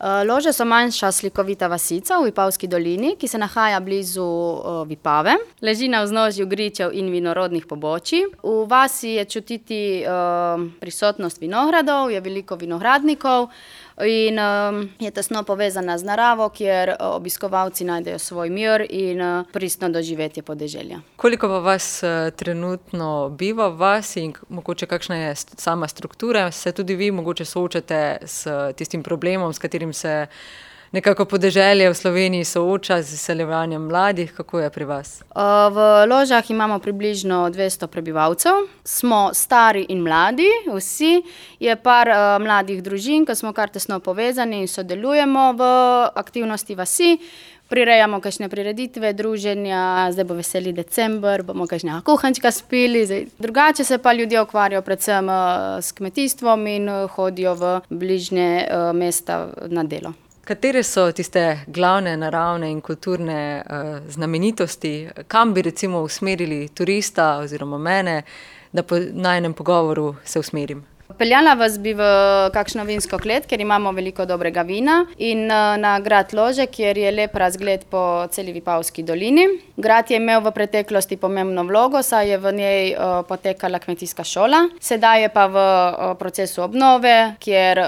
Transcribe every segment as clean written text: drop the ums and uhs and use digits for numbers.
Lože so manjša slikovita vasica v Vipavski dolini, ki se nahaja blizu Vipave. Leži na vznožju gričev in vinorodnih pobočij. V vasi je čutiti prisotnost vinogradov, je veliko vinogradnikov in je tesno povezana z naravo, kjer obiskovalci najdejo svoj mir in pristno doživetje podeželja. Koliko pa vas trenutno biva v vasi in mogoče kakšna je sama struktura? Se tudi vi mogoče soočate s tistim problemom, s katerim se nekako podeželje v Sloveniji sooča z izseljevanjem mladih? Kako je pri vas? V Ložah imamo približno 200 prebivalcev. Smo stari in mladi, vsi. Je par mladih družin, ki smo kar tesno povezani in sodelujemo v aktivnosti vasi. Prirejamo kakšne prireditve, druženja, zdaj bo veseli december, bomo kakšne kuhančka spili. Drugače se pa ljudje ukvarjajo predvsem s kmetijstvom in hodijo v bližnje mesta na delo. Katere so tiste glavne naravne in kulturne znamenitosti? Kam bi recimo usmerili turista oziroma mene, da po najinem pogovoru se usmerim? Peljala vas bi v kakšno vinsko klet, kjer imamo veliko dobrega vina, in na grad Lože, kjer je lep razgled po celi Vipavski dolini. Grad je imel v preteklosti pomembno vlogo, saj je v njej potekala kmetijska šola. Sedaj je pa v procesu obnove, kjer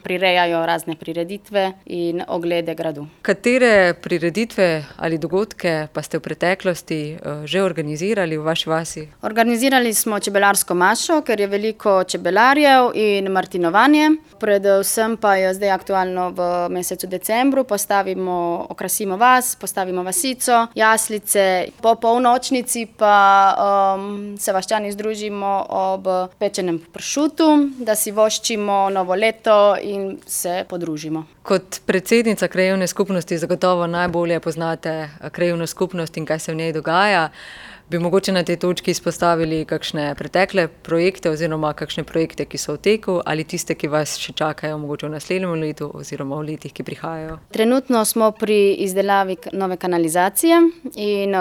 prirejajo razne prireditve in oglede gradu. Katere prireditve ali dogodke pa ste v preteklosti že organizirali v vaši vasi? Organizirali smo čebelarsko mašo, ker je veliko čebelarjev in martinovanje. Predvsem pa je zdaj aktualno v mesecu decembru. Okrasimo vas, postavimo vasico, jaslice. Po polnočnici pa se vaščani združimo ob pečenem pršutu, da si voščimo novo leto in se podružimo. Kot predsednica krajevne skupnosti zagotovo najbolje poznate krajevno skupnost in kaj se v njej dogaja. Bi mogoče na tej točki izpostavili kakšne pretekle projekte oziroma kakšne projekte, ki so v teku, ali tiste, ki vas še čakajo mogoče v naslednjem letu oziroma v letih, ki prihajajo? Trenutno smo pri izdelavi nove kanalizacije in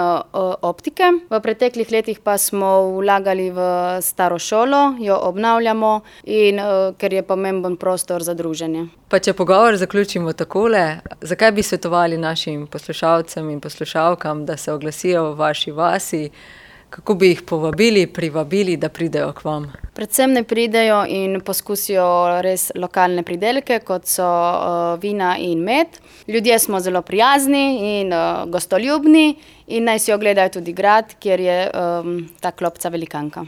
optike. V preteklih letih pa smo vlagali v staro šolo, jo obnavljamo in ker je pomemben prostor za druženje. Pa če pogovor zaključimo takole, zakaj bi svetovali našim poslušalcem in poslušalkam, da se oglasijo v vaši vasi? Kako bi jih privabili, da pridejo k vam? Predvsem ne pridejo in poskusijo res lokalne pridelke, kot so vina in med. Ljudje smo zelo prijazni in gostoljubni in naj si ogledajo tudi grad, kjer je ta klopca velikanka.